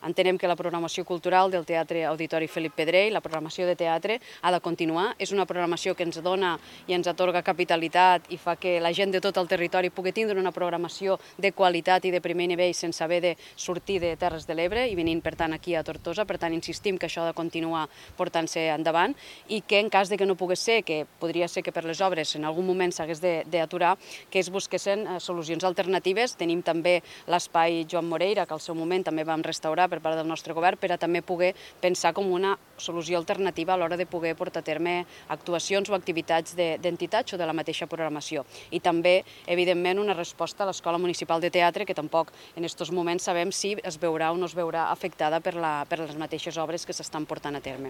Entenem que la programació cultural del Teatre Auditori Felip Pedrell, la programació de teatre, ha de continuar. És una programació que ens dona i ens atorga capitalitat i fa que la gent de tot el territori pugui tindre una programació de qualitat i de primer nivell sense haver de sortir de Terres de l'Ebre i venint, per tant, aquí a Tortosa. Per tant, insistim que això ha de continuar portant-se endavant i que en cas de que no pogués ser, que podria ser que per les obres en algun moment s'hagués d'aturar, que es busquessin solucions alternatives. Tenim també l'espai Joan Moreira, que al seu moment també vam restaurar per part del nostre govern, per a també poder pensar com una solució alternativa a l'hora de poder portar a terme actuacions o activitats d'entitats o de la mateixa programació. I també, evidentment, una resposta a l'Escola Municipal de Teatre, que tampoc en aquests moments sabem si es veurà o no es veurà afectada per les mateixes obres que s'estan portant a terme.